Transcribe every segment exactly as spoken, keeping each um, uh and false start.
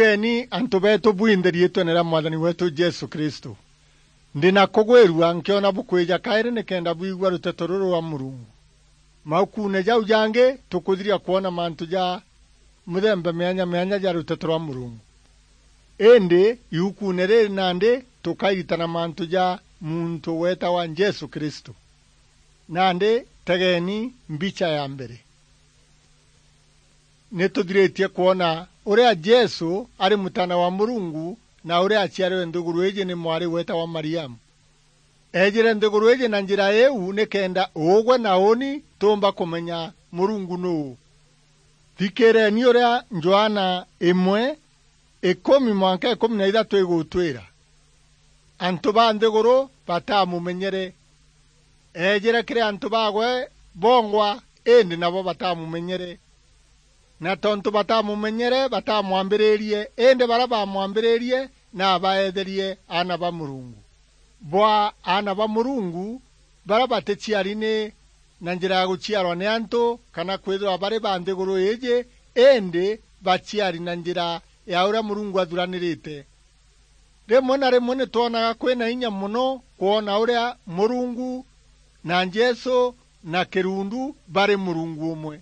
Eni antu beetu bwinthe riitwene ria Mwathani weetu Jesu Kristu. Ndi na kugwirua nkiona bukwija kairi nikenda bwigua ruteto ruru rwa Murungu. Maukuune jau jangi, tukuthiria kwona mantu ja mithemba mianya mianya ja ruteto rwa Murungu. Indi iukuune riri nandi tukairitana mantu ja muntu weetawa Jesu Kristu. Nandi tegeni mbicha ya mbere. Ni tuthiritie kwona uria Jesu ari Mutaana wa Murungu na uria aciarwe nthiguru iji ni mwari weetawa Mariamu. Eejire nthiguru iji na njira iu nikenda ugwe na uuni tuumba kumenya Murungu nuu. Thikiireni uria Johana imwe, ikumi mwanka ikumi na ithatu igutwira. Antu ba nthiguru batamumenyere. Eejire kiri antu bagwe bongwa, indi nabo batamumenyere. Na tontu batamumenyere, batamwambiririe, indi baria baamwambiririe, nabaeetherie aana ba Murungu. Bwa aana ba Murungu, baria baticiari ni na njira ya guciarwa ni antu, kana kwithirwa bari ba nthiguru iiji, indi baciari na njira ya uria Murungu athuranirite. Rimwe na rimwe ni twonaga kwina inya mono kwona uria Murungu na Jesu na kirundu bari Murungu umwe.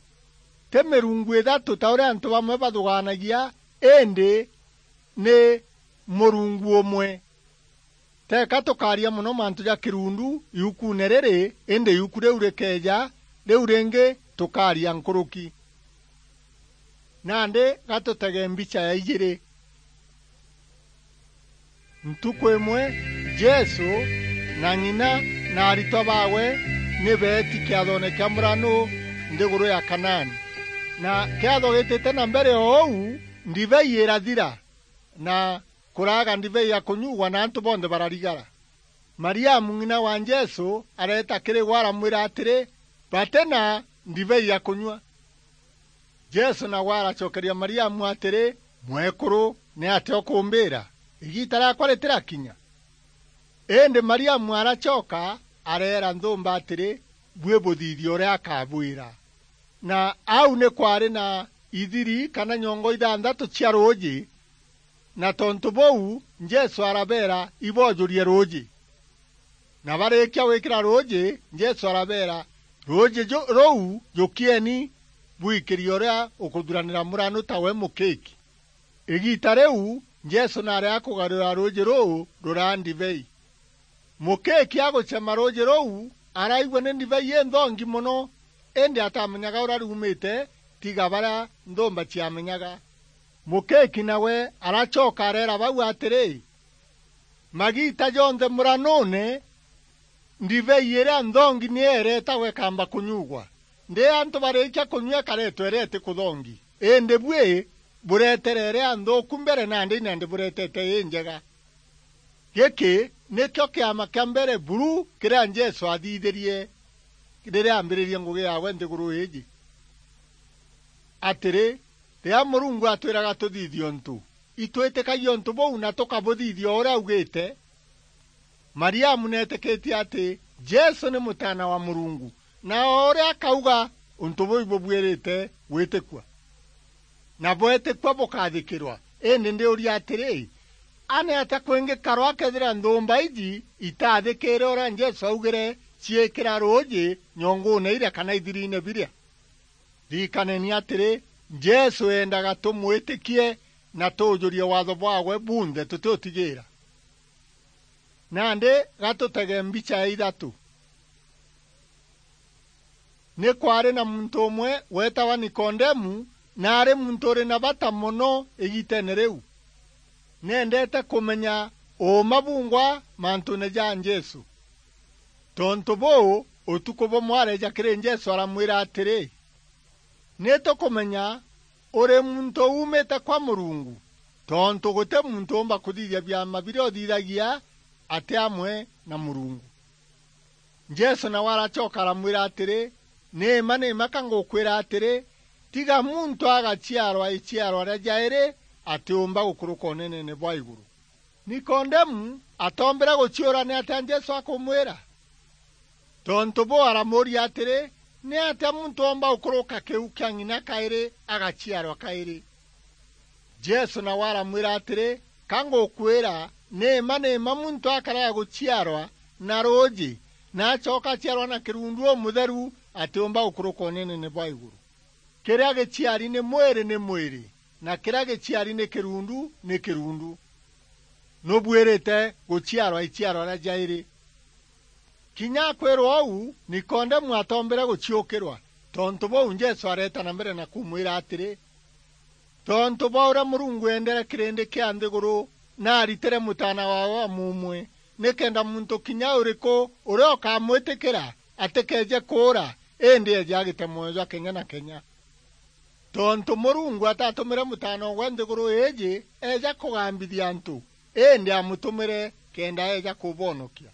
Ti mirungu ithatu ta uria antu bamwe bathugaanagia, indi ni Murungu umwe. Teeka tukaaria mono mantu ja kirundu iukuune riri, indi iuku riu rikeeja riu ringi tukaaria nkuruki. Nandi gatutege mbicha ya ijiri. Ntuku imwe, Jesu na ng'ina na aritwa baawe ni beeti kiathone kia muranu nthiguru ya Kanaani. Na kiatho gitite na mbere o uu, ndibei irathira, na kuraaga ndibei ya kunyuugwa, na antu bonthe bararigara. Mariamu, ng'ina wa Jesu, areeta kiri we, aramwira atiri, "Bati na ndibei ya kunyua." Jesu nawe aracokeria Mariamu atiri, "Mwekuru, ni atia ukumbira? Igiita riaakwa ritirakinya." Indi Mariamu aracoka areera nthumba atiri, "Bui buthithie uria akabwira." Na au ni kwaari na ithiri kana nyongo ithanthatu cia ruuji, na tontu buu, Jesu arabeera iboojurie ruuji. Na barikia gwikira ruuji, Jesu arabeera, "Ruuji ju-, ruu jukieni, bwikirie uria ukuthuranira muranu tawe mukiki." Igiita riu, Jesu naari akugarura ruuji ruu ruraa ndibei. Mukiki agucema ruuji ruu, araigua ni ndibei inthongi mono, indi atamenyaga uria ruumite, tiga baria nthumba ciamenyaga. Mukiki nawe aracoka areera bau atiri, "Magiita jonthe muranuune, ndibei iria nthongi niyo ireetagwa ikamba kunyuugwa. Ndi antu barikia kunyua ikareetwa iria itikuthongi. Indi bui bureetere iria nthuuku mbere, nandi ina ndibureetete injega." Giki nikio kiama kia mbere buru kiria Jesu aathithirie riria aambiririe ngugi yaawe nthiguru iiji. Atiri, riria Murungu atwiraga tuthithie untu, itwitikagia untu buu na tukabuthithia o uria augite. Mariamu neetikitie ati Jesu ni Mutaana wa Murungu, na o uria akauga, untu buu ibubuirite gwitikua. Na bwetikua bukathikirwa. Indi ndiuria atiri, a ni atia kwingikarwa akethira nthumba iji itathikire uria Jesu augire ciikira ruuji nyonguune iria kana ithiriine biria? Ririkaneni atiri, Jesu eendaga tumwitikie na tuujurie waatho bwaawe bunthe tutiutigiira. Nandi gatutege mbicha ya ithatu. Ni kwaari na muntu umwe weetawa Nikodemu, na aari muntu uri na bata mono igiiteene riu. Neendeete kumenya uuma bungwa mantuune ja Jesu. Tontu buu, utuku bumwe areeja kiri Jesu aramwira atiri, "Ni tukumenya uri muntu uumite kwa Murungu, tontu guti muntu uumba kuthithia biama biria uthithagia ati amwe na Murungu." Jesu nawe aracoka aramwira atiri, "Ni mma, ni mma ka ngukwira atiri, tiga muntu agaciarwa iciarwa ria jairi, atiumba gukuruka uneneene bwa iguru." Nikodemu atoombire guciura ni atia Jesu akumwira. Tontu buu aramuuria atiri, "Ni atia muntu oomba gukuruka kiu kia ng'ina kairi agaciarwa kairi?" Jesu nawe aramwira atiri, "Ka ngukwira, ni mma, ni mma muntu akaraga guciarwa na ruuji, na acoka aciarwa na kirundu umutheru, atiumba gukuruka unenene bwa iguru. Kiria giciari ni mwiri ni mwiri, na kiria giciari ni kirundu ni kirundu. Nubuirite guciarwa iciarwa ria jairi." Kinya akwirwa uu, Nikodemu atombire guciukirwa. Tontu buu, Jesu areeta na mbere na kumwira atiri, "Tontu bwa uria Murungu eendere kirindi kia nthiguru, na aritire Mutaana waawe wa muumwe, nikenda muntu kinya uriku uria ukamwitikira atikeeje kuura, indi eeje agite mwoyo jwa kenya na kenya. Tontu Murungu atatumire Mutaana waawe nthiguru iiji eeja kugambithia antu, indi amutumire kenda eeja kubonokia.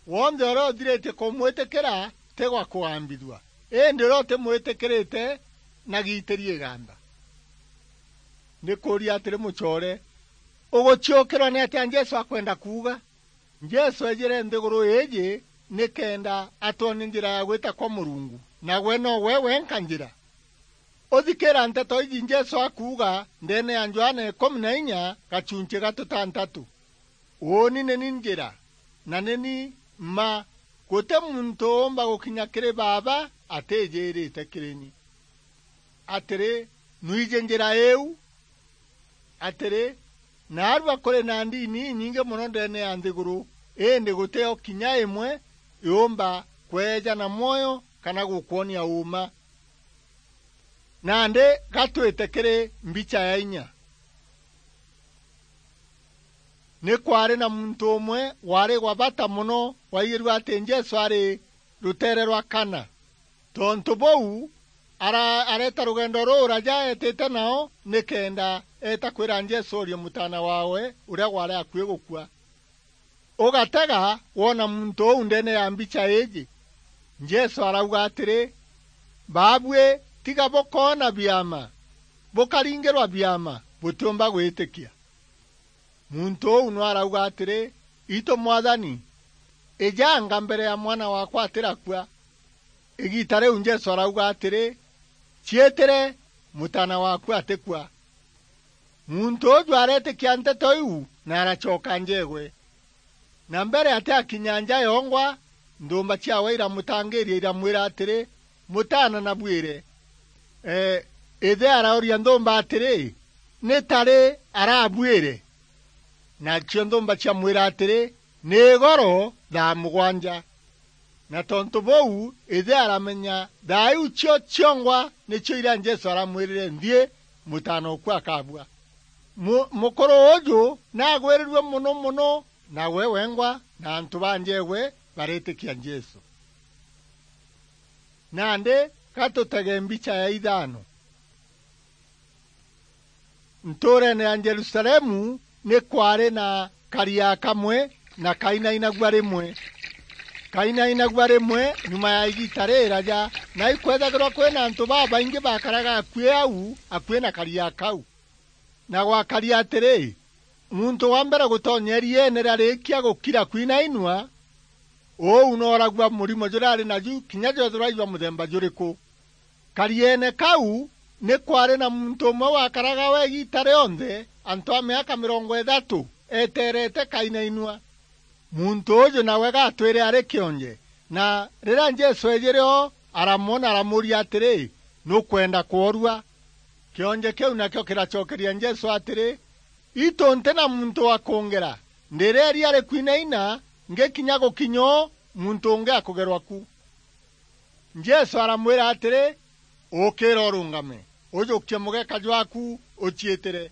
Wonthe uria uthiritie kumwitikira ti gwa kugambithua, indi uria utimwitikirite nagiitirie igamba." Ndikuuria atiri, mucoore, uguciukirwa ni atia Jesu akwenda kuuga? Jesu eejire nthiguru iiji nikenda atwonie njira ya gwita kwa Murungu, na gwe no gwe wenka njira. Uthikira nteto iji Jesu akuuga ndeene ya Johana ikumi na inya gachunchi ga tutantatu, "Uuni ni ni njira, na ni ni mma, guti muntu uumba gukinya kiri Baaba atiijirite kiri ni." Atiri, nwiji njira iu? Atiri, naarua kuri na ndini inyingi mono ndeene ya nthiguru, indi guti o kinya imwe yuumba kweeja na mwoyo kana gukwonia uuma. Nandi gatwite kiri mbicha ya inya. Ni kwaari na muntu umwe waari wa bata mono waigirue ati Jesu ari ruteere rwa Kana. Tontu buu, ara-, areeta rugendo ruu raja eetite nao nikenda eeta kwira Jesu oorie mutaana waawe uria waari akui gukua. Ugatega woona muntu uu ndeene ya mbicha iiji. Jesu arauga atiri, "Baabui, tiga bukoona biama, bukaringirwa biama, butiumba gwitikia." Muntu uu nwe arauga atiri, "Itu Mwathani, ijanga mbere ya mwana waakwa atirakua." Igiita riu Jesu arauga atiri, "Ciitire, mutaana waaku atikua." Muntu uju areetikia nteto iu na aracoka njeegwe. Na mbere atiakinya nja yongwa, nthumba ciaawe iramutangiiria, iramwira atiri, "Mutaana nabwire." Ee, ithe arauria nthumba atiri, "Ni ta ri arabwire?" Nacio nthumba ciamwira atiri, "Ni igoro thaa mugwanja." Na tontu buu, ithe aramenya thaa iu cio ciongwa nicio iria Jesu aramwirire, "Nthii, mutaana oku akabua." Mu-, mukuru uju naagwirirue mono mono, na we wengwa na antu ba njeegwe bareetikia Jesu. Nandi, ga tutege mbicha ya ithaano. Ntuureene ya Jerusalemu ni kwaari na karia kamwe, na kainainagua rimwe. Kainainagua rimwe nyuma ya igiita riraja, na ikwethagirwa kwina antu babaingi bakaraga akui au, akui na karia kau. Na gwakaria atiri, muntu wa mbere gutonya irieene riarikia gukira kwinainua, uu nooragua murimo juria ari naju, kinya jwethirwa i jwa muthemba juriku. Karieene kau ni kwaari na muntu umwe wakaraga we igiita rionthe, antu a miaka mirongo ithatu, eteerete kainainua. Muntu uju nawe gatwire ari kionje, na riria Jesu eejire o, aramwona, aramuuria atiri, "Nukwenda kworua?" Kionje kiu nakio kiracokeria Jesu atiri, "Itu nti na muntu wa kungera, ndireeria ari kwinaina, ngikinya gukinya o, muntu ungi akugerwa ku." Jesu aramwira atiri, "Ukira urungame, ujukie mugeka jwaku, uciitire."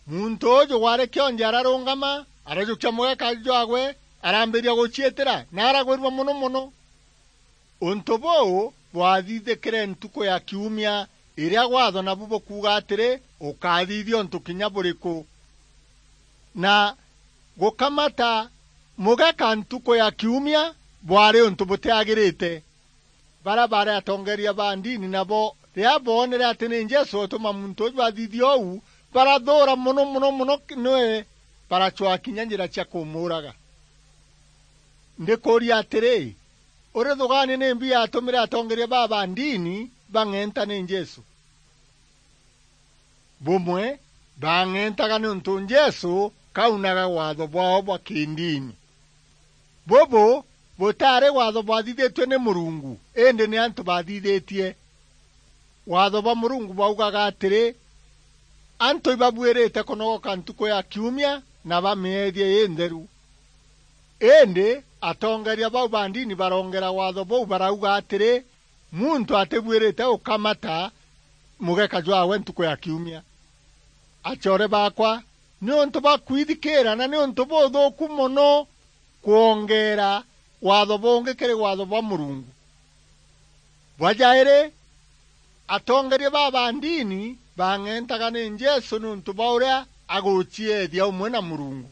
Muntu uju waari kionje ararungama, arajukia mugeka jwagwe, arambiria guciitira, na aragwirua mono mono. Untu buu bwathithikire ntuku ya kiumia, iria gwatho nabu bukuuga atiri, "Ukathithia untu kinya buriku?" Na gukamata mugeka ntuku ya kiumia bwaari untu butiagirite. Baria baari atongeeria ba ndini nabo, riria boonere ati ni Jesu utuma muntu uju athithia uu, barathuura mono, mono, mono ki-, niwe, baracwaa kinya njira cia kumuuraga. Ndikuuria atiri, urithugaania nimbi yatumire atongeeria baa ba ndini bang'enta ni Jesu? Bumwe, baang'entaga niuntu Jesu kaunaga waatho bwao bwa kindini. Bubu butaari waatho bwathithitue ni Murungu, indi ni antu baathithitie. Waatho bwa Murungu bwaugaga atiri, antu ibabuirite kunogoka ntuku ya kiumia na bamieethie intheru. Indi atongeeria bau ba ndini barongera waatho buu, barauga atiri, muntu atibuirite gukamata mugeka jwaawe ntuku ya kiumia. Acoore baakwa, niuntu bwa kwithikiira na niuntu buthuuku mono kwongeera waatho bungi kiri waatho bwa Murungu. Bwa jairi, atongeeria baa ba ndini baang'entaga ni Jesu niuntu bwa uria agucieethia umwe na Murungu.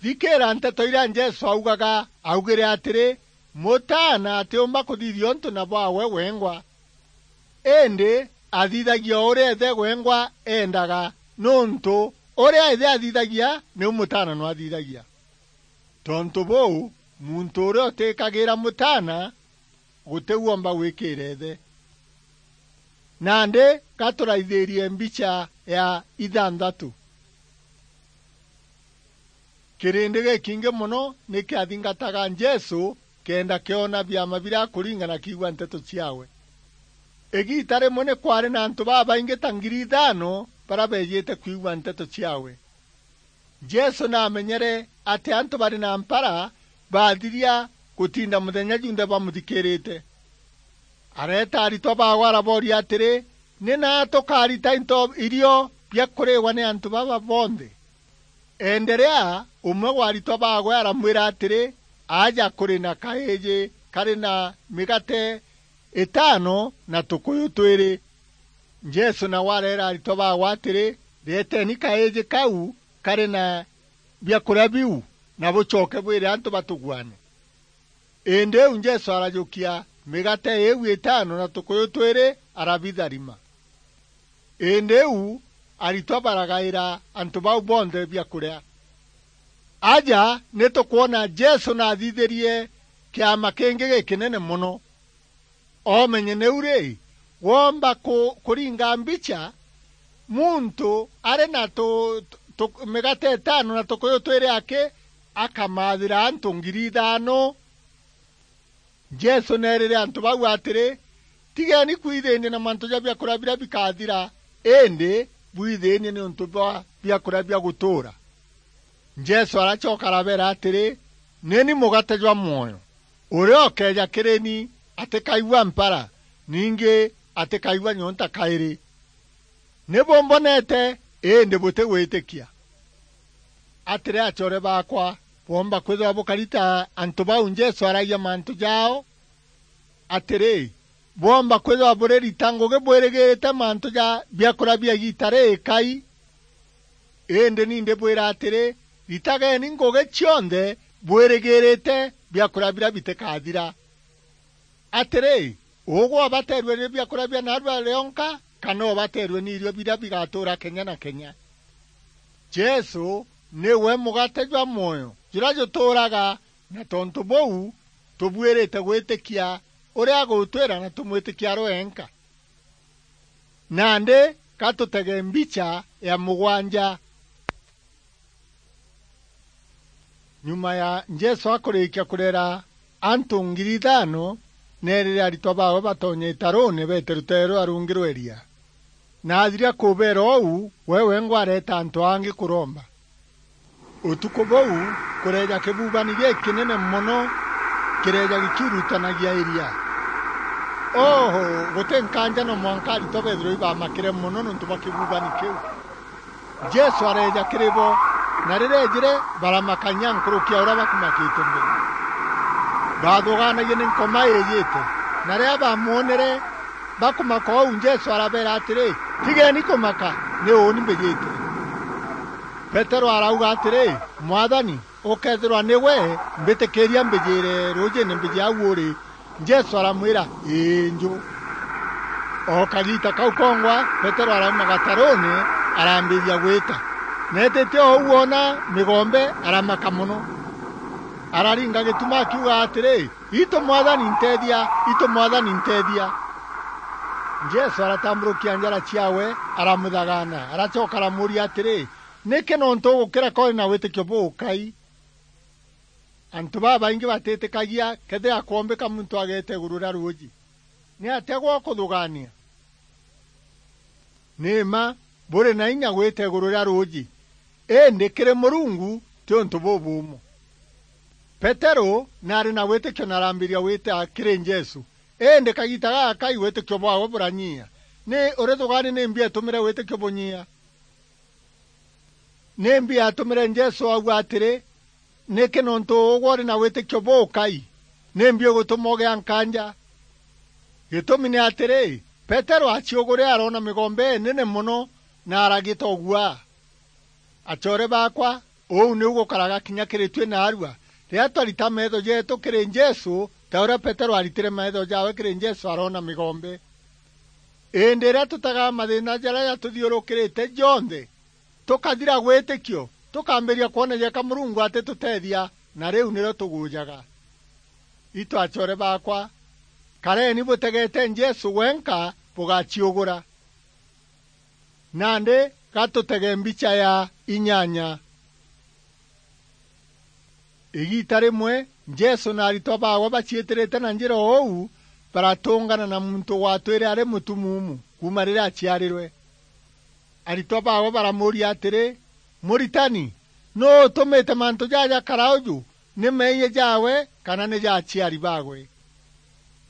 Thikiira nteto iria Jesu augaga. Augire atiri, Mutaana atiumba kuthithia untu na bwaawe wengwa, indi athithagia o uria Ithe wengwa eendaga, niuntu uria Ithe athithagia, niu Mutaana nwathithagia. Tontu buu, muntu uria utikagira Mutaana guti uumba gwikiira Ithe. Nandi, ga turaithirie mbicha ya ithanthatu. Kirindi gikingi mono ni kiathingataga Jesu kenda kiona biama biria akuringa na kiigua nteto ciaawe. Igiita rimwe ni kwaari na antu babaingi ta ngiri ithaano baria beejite kwigua nteto ciaawe. Jesu naamenyere ati antu bari na mpara baathiria gutinda muthenya junthe bamuthikiirite. Areeta aritwa baawe arabooria atiri, "Ni naa tukaarita into irio bia kuriigwa ni antu baba bonthe?" Enderea, umwe wa aritwa baawe aramwira atiri, "Aja kuri na kaiji kari na migate itaano na tukuyu twiri." Jesu nawe areera aritwa baawe atiri, "Reeteni kaiji kau kari na biakuria biu, na bucoke bwire antu batuguane." Indi iu Jesu arajukia migate iu itaano na tukuyu twiri, arabitharima. Indi iu aritwa baragaira antu bau bonthe biakuria. Aja ni tukwona Jesu naathithirie kiama kingi gikinene mono. Omenye niu ri, woomba ku-, kuringa mbicha, muntu ari na tu-, tu-, tu-, migate itaano na tukuyu twiri aki, akamaathira antu ngiri ithaano? Jesu neerire antu bau atiri, "Tigeni kwithiinia na mantu ja biakuria biria bikathira, indi bwithiinie niuntu bwa biakuria bia gutuura." Jesu aracoka arabeera atiri, "Ni ni mugate jwa mwoyo. Uria ukeeja kiri ni atikaigua mpara, ningi atikaigua nyonta kairi. Ni bumbonete, indi butigwitikia." Atiri, acoore baakwa, bwoomba kwithirwa bukari ta antu bau Jesu aragia mantu jaao? Atiri, bwoomba kwithirwa buririta ngugi bwirigirite mantu ja biakuria bia igiita riikai? Indi ni ndibwira atiri, ritageni ngugi cionthe bwirigirite biakuria biria bitikathira. Atiri, ugwe ubateerue ni biakuria bia naarua rionka, kana ubateerue ni irio biria bigatuura kenya na kenya? Jesu niwe mugate jwa mwoyo juria jutuuraga, na tontu buu, tubuirite gwitikia uria agutwira na tumwitikia ari wenka. Nandi, ka tutege mbicha ya mugwanja. Nyuma ya Jesu akurikia kurera antu ngiri ithaano, neerire aritwa baawe batonye itaruune beete ruteere ruria rungi rwa iria. Na athiria kubeera uu, we wengwa areeta antu angi kuromba. Utuku buu, kureeja kibubani gikinene mono kireeja gikiurutanagia iria. Oho, guti nkaanja no mwanka aritwa beethirwe ibamakire mono niuntu bwa kibubani kiu. Jesu areeja kiri bo, na riria eejire, baramaka inya nkuruki ya uria bakumakite mbere. Baathugaanagia ni nkoma iijite, na riria baamwonere bakumaka uu, Jesu arabeera atiri, "Tigeni kumaka, ni uuni mbijite." Petero arauga atiri, "Mwathani, ukeethirwa ni gwe, mbitikiiria mbijiire ruujiine mbiji au uri." Jesu aramwira, "Ii, nju." O kagiita kau kongwa, Petero arauma gataruune, arambiria gwita. Na eetite o uu oona migombe, aramaka mono. Araringa gituma akiuga atiri, "Itu Mwathani, nteethia! Itu Mwathani, nteethia!" Jesu aratamburukia njara ciawe, aramuthagana, aracoka aramuuria atiri, "Niki nontu ugukira ka uri na witikio bukai?" Antu babaingi batitikagia kethira kwombika muntu ageeta iguru ria ruuji. Ni atia gwa kuthugania? Ni mma, buri na inya gwita iguru ria ruuji, indi kiri Murungu ti untu bubuumu. Peteru naari na witikio na arambiria gwita kiri Jesu, indi kagiita gagakai witikio bwaawe buranyia. Ni urithugaania nimbi eetumire witikio bunyia? Nimbi yaatumire Jesu auga atiri, "Niki nontu ugwe uri na witikio bukai, nimbi ugutuma ugia nkanja?" Gitumi ni atiri, Peteru aciugure aroona migombe inene mono na aragita uguaa. Acoore baakwa, uu niu gukaraga kinya kiri tui naarua, riria twarita meetho jeetu kiri Jesu, ta uria Peteru aritire meetho jaawe kiri Jesu aroona migombe. Indi riria tutagaa mathiina jaria jatuthiurukirite jonthe, tukathira gwitikio, tukambiria kwona jeka Murungu atituteethia, na riu nirio tugujaga. Itu acoore baakwa, kareni butegeete Jesu wenka bugaciugura. Nandi gatutege mbicha ya inyanya. Igiita rimwe, Jesu na aritwa baawe baciitirite na njira uu, baratungana na muntu watwire ari mutumuumu kuuma riria aciarirwe. Aritwa baawe baramuuria atiri, "Muritani, nuu utumite mantu jaja jakara uju? Ni meeyia jaawe kana ni ja aciari baawe?"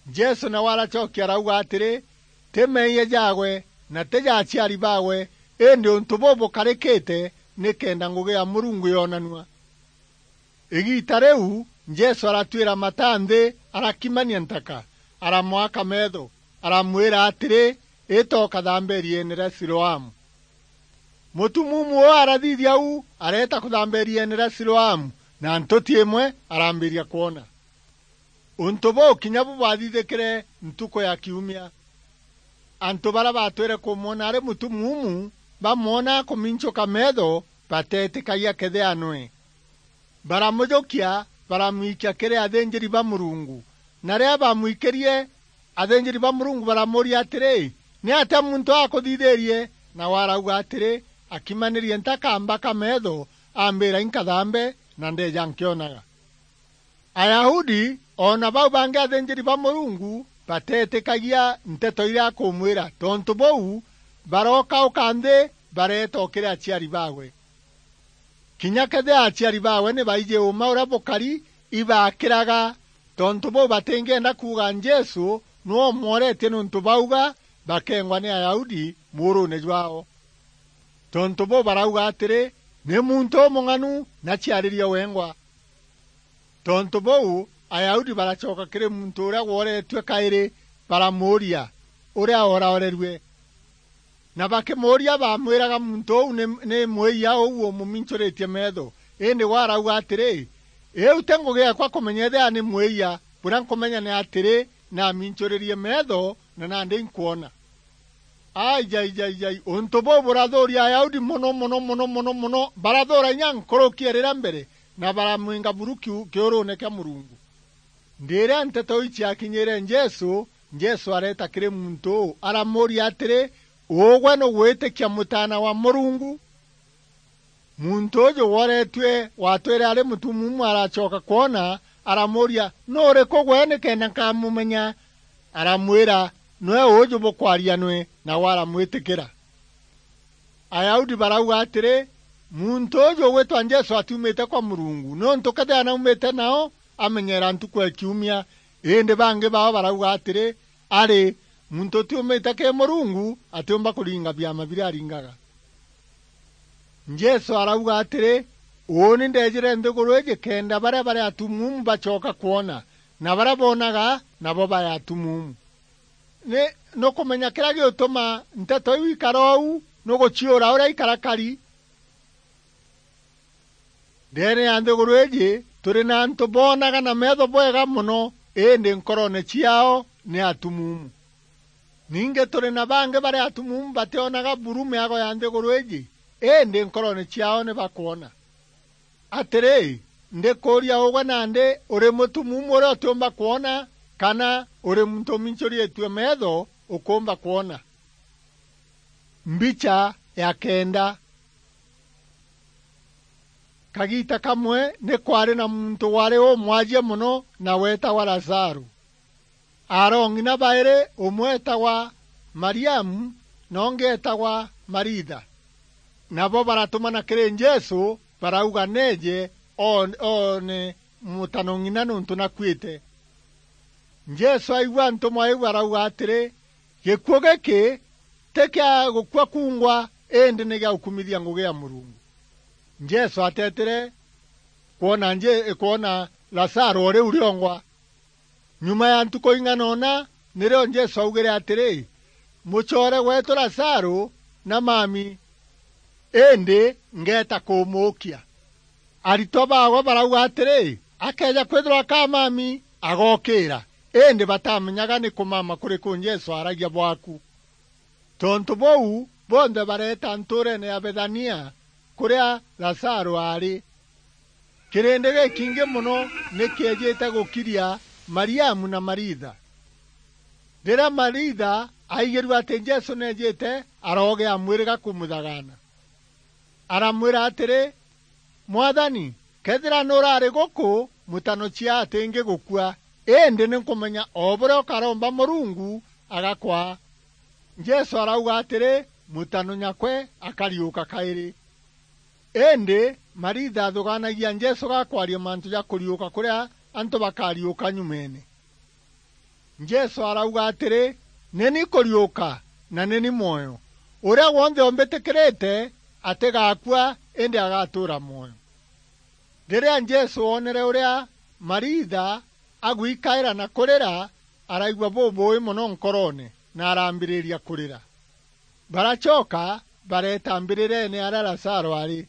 Jesu nawe aracokia arauga atiri, "Ti meeyia jaawe, na ti ja aciari baawe, indi untu buu bukarikite nikenda ngugi ya Murungu yonanua." Igiita riu, Jesu aratuira mata nthi, arakimania ntaka, aramwaka meetho, aramwira atiri, "Ita ukathambe iriene ria Siloamu." Mutumuumu uu arathithia uu, areeta kuthambe iriene ria Siloamu, na ntuti imwe arambiria kwona. Untu buu kinya bu bwathithikire ntuku ya kiumia. Antu baria baatwire kumwona ari mutumuumu, bamwona akuminchuka meetho, bateetikagia kethia nwe. Baramujukia, baramwikia kiri athinjiri ba Murungu. Na riria baamwikirie, athinjiri ba Murungu baramuuria atiri, "Ni atia muntu akuthithirie?" Nawe arauga atiri, "Akimanirie ntaka ambaka meetho, ambira inkathambe, na ndeeja nkionaga." Ayahudi, o na bau bangi athinjiri ba Murungu, bateetikagia nteto iria akumwira. Tontu buu, barokauka nthi, bareeta o kiri aciari baawe. Kinya kethira aciari baawe ni baiji uuma uria bukari, ibaakiraga. Tontu buu, batingienda kuuga Jesu niwe umworetie niuntu bauga bakengwa ni Ayahudi muuruune jwaao. Tontu buu, barauga atiri, "Ni muntu umung'anu na ciaririe wengwa." Tontu buu, Ayahudi baracoka kiri muntu uria wooretue kairi, baramuuria uria ooraorerue. Na bakimuuria, baamwiraga, "Muntu uu ni, ni mwiya uu umuminchuritie meetho." Indi we arauga atiri, "Iu ti ngugi yeekwa kumenya ethira ni mwiya, buria nkumenya ni atiri, naaminchuririe meetho na nandi inkwona." Aijaijai, untu buu burathuuria Ayahudi mono, mono, mono, mono, mono, barathuura inya nkuruki ya riria mbere, na baramwinga buru kiu-, kiuruune kia Murungu. Ndi riria nteto iu ciakinyire Jesu, Jesu areeta kiri muntu uu, aramuuria atiri, "Ugwe nugwitikia Mutaana wa Murungu?" Muntu uju wooretue, watwire ari mutumuumu, aracoka kwona, aramuuria, "Nu uriku gwe nikenda nkamumenya?" Aramwira, "Niwe uju bukwaria nwe," nawe aramwitikira. Ayahudi barauga atiri, "Muntu uju ugwitwa Jesu atiumite kwa Murungu, niuntu kethira naumite nao, amenyeera ntuku ya kiumia." Indi bangi bao barauga atiri, "Ari, muntu utiumite kiri Murungu atiumba kuringa biama biria aringaga." Jesu arauga atiri, "Uuni ndeejire nthiguru iji kenda baria bari atumuumu bacoka kwona, na baria boonaga nabo bae atumuumu." Ni, nukumenya kiria giutuma nteto iu ikara uu, nuguciura uria ikarakari? Ndeene ya nthiguru iji, turi na antu boonaga na meetho bwega mono, indi nkoroone ciaao ni atumuumu. Ningi turi na bangi bari atumuumu bationaga buru miago ya nthiguru iji, indi nkoroone ciaao ni bakwona. Atiri, ndikuuria ugwe nandi, uri mutumuumu uria utiumba kwona, kana uri muntu uminchuritue meetho ukumba kwona. Mbicha ya kenda. Kagiita kamwe ni kwaari na muntu waari umwajie mono na weetagwa Lazaru. Aarong'ina bairi, umwe eetagwa Mariamu na ungi eetagwa Maritha. Nabo baratumana kiri Jesu, barauga neeje oon-, oone mutanong'ina niuntu nakuite. Jesu aigua ntumwa iu arauga atiri, "Gikuu giki ti kia gukua kungwa, indi ni gia gukumithia ngugi ya Murungu." Jesu ateetire kwona Nje-, kwona Lazaru o riu riongwa. Nyuma ya ntuku ing'ana una, nirio Jesu augire atiri, "Mucoore weetu Lazaru na mami, indi ngeeta kumuukia." Aritwa baawe barauga atiri, "Akeeja kwithirwa akamami, agookira." Indi batamenyaga ni kumama kuriku Jesu aaragia bwaku. Tontu buu, bonthe bareeta ntuureene ya Bethania, kuria Lazaru aari. Kirindi gikingi mono ni kiejite gukiria Mariamu na Maritha. Riria Maritha aigirue ati Jesu neejite, aroogea mwiriga kumuthagaana. Aramwira atiri, "Mwathani, kethira nuraari guku, mutano cia atingi gukua, indi ni nkumenya o buria ukaromba Murungu agakwaa." Jesu arauga atiri, "Mutano nyakwe akariuka kairi." Indi Maritha athugaanagia Jesu gakwaria mantu ja kuriuka kuria antu bakariuka nyumeene. Jesu arauga atiri, "Ni ni kuriuka na ni ni mwoyo. Uria wonthe umbitikirite atigakua, indi agatuura mwoyo." Riria Jesu oonere uria Maritha agwikaira na kurira, araigua bubuui mono nkoroone na arambiriria kurira. Baracoka bareeta mbirireene aria Lazaru aari.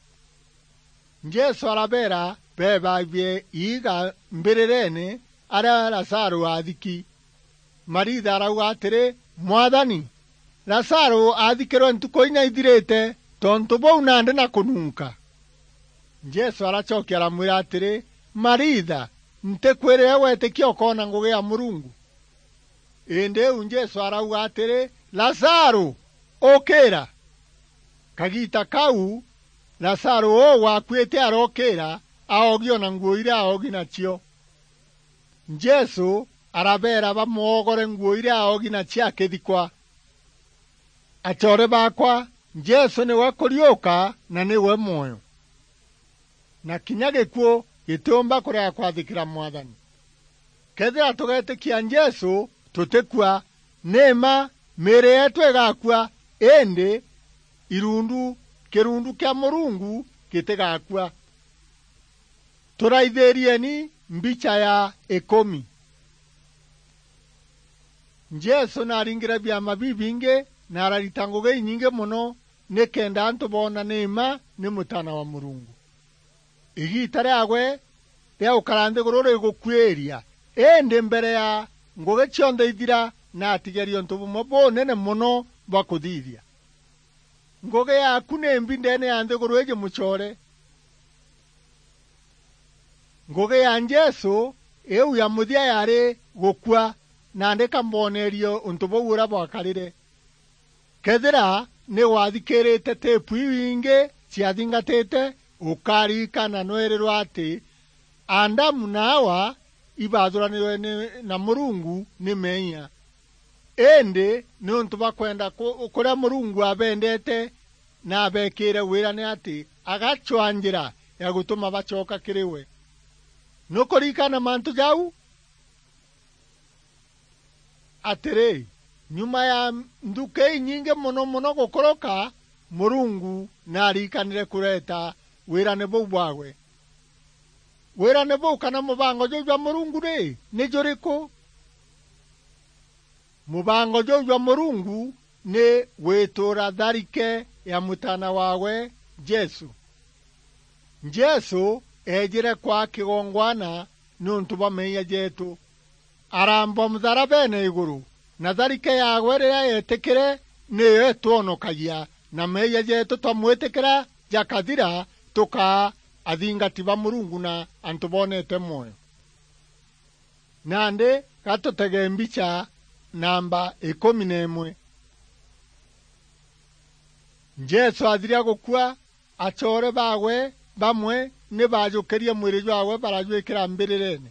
Jesu arabeera beebabie iiga mbirireene aria Lazaru aathiki. Maritha arauga atiri, "Mwathani, Lazaru aathikirwe ntuku inya ithirite, tontu buu nandi na kununka." Jesu aracokia aramwira atiri, "Maritha, ntikwirire weetikia ukoona ngugi ya Murungu?" Indi iu Jesu arauga atiri, "Lazaru, ukira!" Kagiita kau, Lazaru uu wakuite arookira, aogi o na nguo iria aogi nacio. Jesu arabeera bamoogore nguo iria aogi nacio akithikwa. Acoore baakwa, Jesu niwe kuriuka na niwe mwoyo. Na kinya gikuu gitiumba kurega kwathikira Mwathani. Kethira tugeetikia Jesu, tutikua. Ni mma, miiri yeetu igakua, indi irundu, kirundu kia Murungu gitigakua. Turaithirieni mbicha ya ikumi. Jesu naaringire biama bibingi na ararita ngugi inyingi mono nikenda antu boona ni mma ni Mutaana wa Murungu. Igiita riaawe ria gukara nthiguru rigukuiria, indi mbere ya ngugi cionthe ithira, naatigerie untu bumwe bunene mono bwa kuthithia. Ngugi yaaku ni mbi ndeene ya nthiguru iiji, mucoore? Ngugi ya Jesu iu ya muthia yaari gukua, nandi ka mboonerie untu buu uria bwakarire. Kethira ni wathikirite tipu iu ingi ciathingatite, ukaririkana nweerirwe ati Adamu na Awa ibaathuranirwe ni, na Murungu ni meeyia. Indi niuntu bwa kwenda ku-, kuria Murungu abendeete na abeekire wira, ni ati agacwaa njira ya gutuma bacoka kiri we. Nukuririkana mantu jau? Atiri, nyuma ya nthuki inyingi mono mono gukuruka, Murungu naarikanire kureeta wirane buu bwaawe. Wirane buu kana mubango juu jwa Murungu ri, ni juriku? Mubango juu jwa Murungu ni gwituura tharike ya Mutaana waawe, Jesu. Jesu eejire kwaa kigongwana niuntu bwa meeyia jeetu. Arambwa mutharabeene iguru, na tharike yaawe riria yeetikire niyo itwonokagia, na meeyia jeetu twamwitikira jakathira, tukaa athingati ba Murungu na antu boonete mwoyo. Nandi gatutege mbicha namba ikumi na imwe. Jesu athiria gukua, acoore baawe bamwe ni baajukirie mwiri jwaawe barajwikira mbirireene.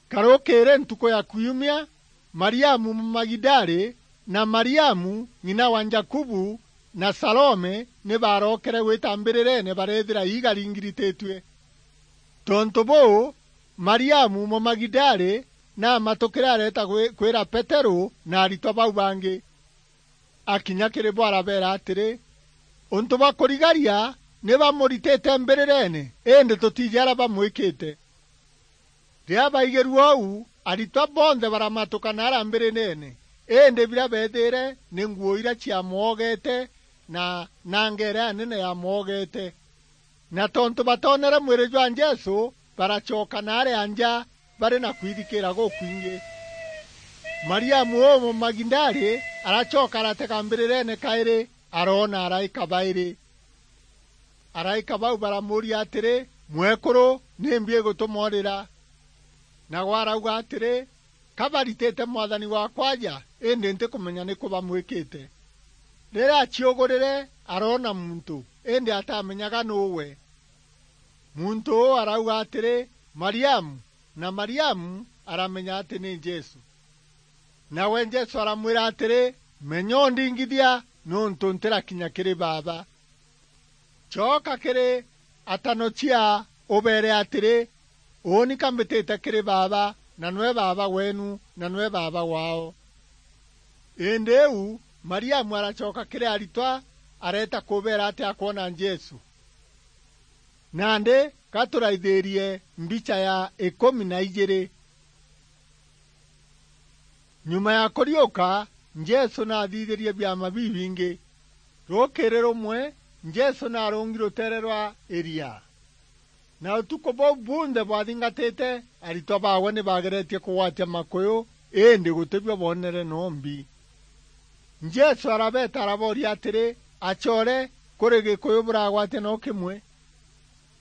Karukiiri ntuku ya Kiumia, Mariamu Mumagidali na Mariamu ng'ina wa Jakubu na Salome ni baarokere gwita mbirireene bareethira iiga ringirititue. Tontu buu, Mariamu Mumagidali naamatukire areeta gwi-, kwira Peteru na aritwa bau bangi. Akinya kiri bo arabeera atiri, "Untu bwa kurigaria ni bamuritite mbirireene, indi tutiiji aria bamwikite." Riria baigirue uu, aritwa bonthe baramatuka naara mbirireene, indi biria beethiire ni nguo iria ciamwogete na nanga iria nene yamwogete. Na tontu batoonere mwiri jwa Jesu, baracoka naarîa nja bari na kwithikira gukwingi. Mariamu uu Mumagidali aracoka aratega mbirireene kairi, aroona araika bairi. Araika bau baramuuria atiri, "Mwekuru, nimbi igutuma urira?" Nawe arauga atiri, "Ka baritite Mwathani waakwa aja, indi ntikumenya niku bamwikite." Riria aciugurire, aroona muntu, indi atamenyaga nuu we. Muntu uu arauga atiri, "Mariamu," na Mariamu aramenya ati ni Jesu. Nawe Jesu aramwira atiri, "Menya undingithia, niuntu ntirakinya kiri Baaba. Coka kiri atanocia, ubeere atiri, 'Uuni ka mbitite kiri Baaba, na nwe Baaba weenu, na nwe Baaba waao.'" Indi iu, Mariamu aracoka kiri aritwa, areeta kubeera ati akwona Jesu. Nandi, ka turaithirie mbicha ya ikumi na ijiri. Nyuma ya kuriuka, Jesu naathithirie biama bibingi. Rukiiri rumwe, Jesu naarungi ruteere rwa iria. Na utuku buu bunthe bwathingatite, aritwa baawe ni baageretie kugwatia makuyu, indi gutibio boonere nombi. Jesu arabeeta arabooria atiri, "Acoore, kuri gikuyu buragwatia no kimwe?"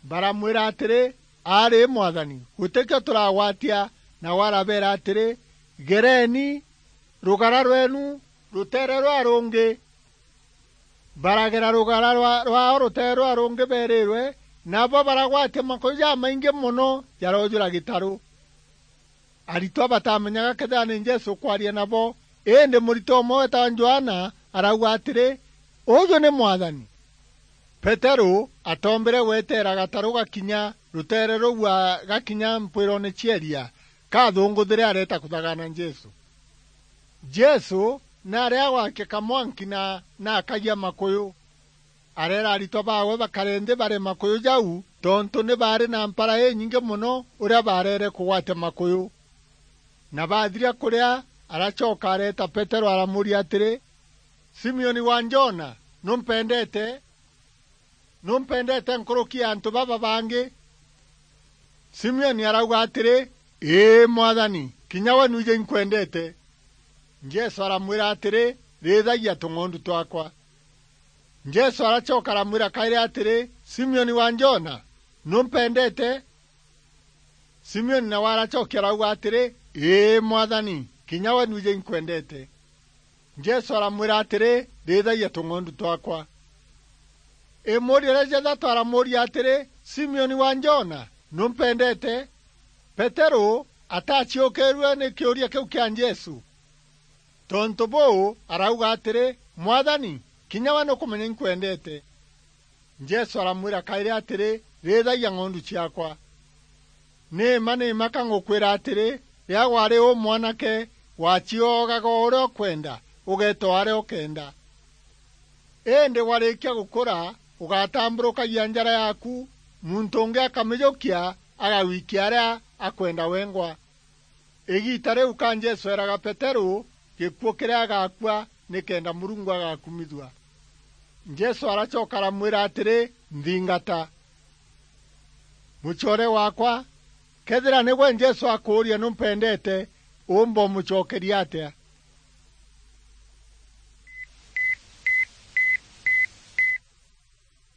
Baramwira atiri, "Aari, Mwathani, gutikio turagwatia." Nawe arabeera atiri, "Gereeni rugara rweenu ruteere rwa rungi." Baragera rugara rwa-, rwaao ruteere rwa rungi beerirwe, nabo baragwatia makuyu jamaingi mono jaroojura gitaru. Aritwa batamenyaga kethira ni Jesu ukwaria nabo, indi muritwa umwe wetawa Johana arauga atiri, "Uju ni Mwathani." Peteru atoombire gweteera gataru gakinya ruteere ruu gakinya mpwiroone cia iria, kathunguthire areeta kuthagana Jesu. Jesu naari agwakia kamwanki na naakagia makuyu. Areera aritwa baawe bakare nthi bare makuyu jau, tontu ni baari na mpara inyingi mono uria baarere kugwatia makuyu. Na baathiria kuria, aracoka areeta Peteru aramuuria atiri, "Simioni wa Jona, numpendete? Numpendete nkuruki ya antu baba bangi?" Simioni arauga atiri, "Ii, Mwathani, kinya we nwiji inkwendete." Jesu aramwira atiri, "Riithagia tung'ondu twakwa." Jesu aracoka aramwira kairi atiri, "Simioni wa Jona, numpendete?" Simioni nawe aracokia arauga atiri, "Ii, Mwathani, kinya we nwiji inkwendete." Jesu aramwira atiri, "Riithagia tung'ondu twakwa." Imuuria ria jathatu aramuuria atiri, "Simioni wa Jona, numpendete?" Peteru ataciukirue ni kiuria kiu kia Jesu. Tontu buu, arauga atiri, "Mwathani, kinya we nukumenya inkwendete." Jesu aramwira kairi atiri, "Riithagia ng'ondu ciakwa." Ni mma, ni mma ka ngukwira atiri, riria wari u mwanake, wacioogaga o uria ukwenda, ugeeta o aria ukenda. Indi warikia gukura, ugatamburukagia njara yaaku, muntu ungi akamijukia, agagwikia aria akwenda wengwa. Igiita riu ka Jesu eeraga Peteru gikuu kiria agakua nikenda Murungu agakumithua. Jesu aracoka aramwira atiri, "Nthingata." Mucoore waakwa, kethira nigwe Jesu akuuria, "Numpendete?" uumba umucokeria atia?